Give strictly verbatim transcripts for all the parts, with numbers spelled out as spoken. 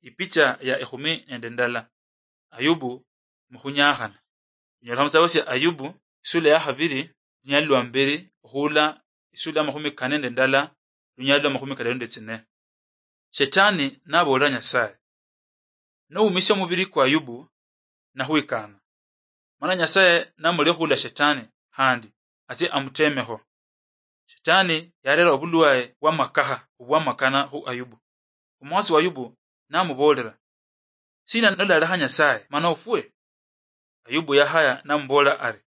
Ipicha ya ekhumi nende ndala. Ayubu mukhunyakhana. Inyala khumusaba sia Ayubu, isula ya khabiri, lunyali lwa mberi, okhula isula ya makhumi kane nende ndala, lunyali lwa makhumi kadaru nende tsine. Shetani naboolera Nyasaye, "Nowumisia omubiri kwa Ayubu, nakhwikana." Mana Nyasaye namulekha khula Shetani khandi atsie amutemekho. Shetani yarera obulwaye bwamakakha obwamakana khu Ayubu. Omukhasi wa Ayubu namuboolera, "Sina nolalekha Nyasaye mana ofwe?" Ayubu yahaya namuboolera ari,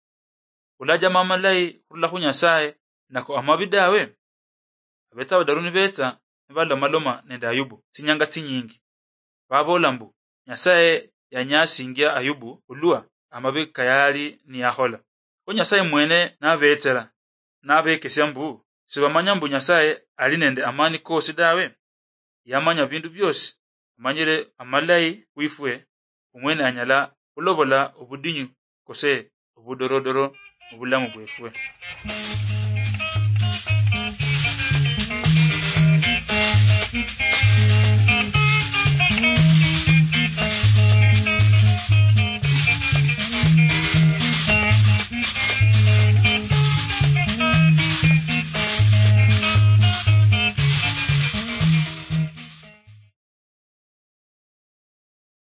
"Olajama amalayi khurula khu Nyasaye nako amabi dawe?" Abetsa badaru nibetsa nibalomaloma nende Ayubu tsinyanga tsinyingi. Baboola mbu, Nyasaye yanyasingia Ayubu olwa amabi kayali niyakhola. Kho Nyasaye mwene nabetsera, nabekesia mbu, sibamanya mbu Nyasaye ali nende amani kosi dawe? Yamanya bindu biosi, amanyire amalayi khwifwe, omwene anyala khulobola obudinyu kose obudorodoro mubulamu bwefwe.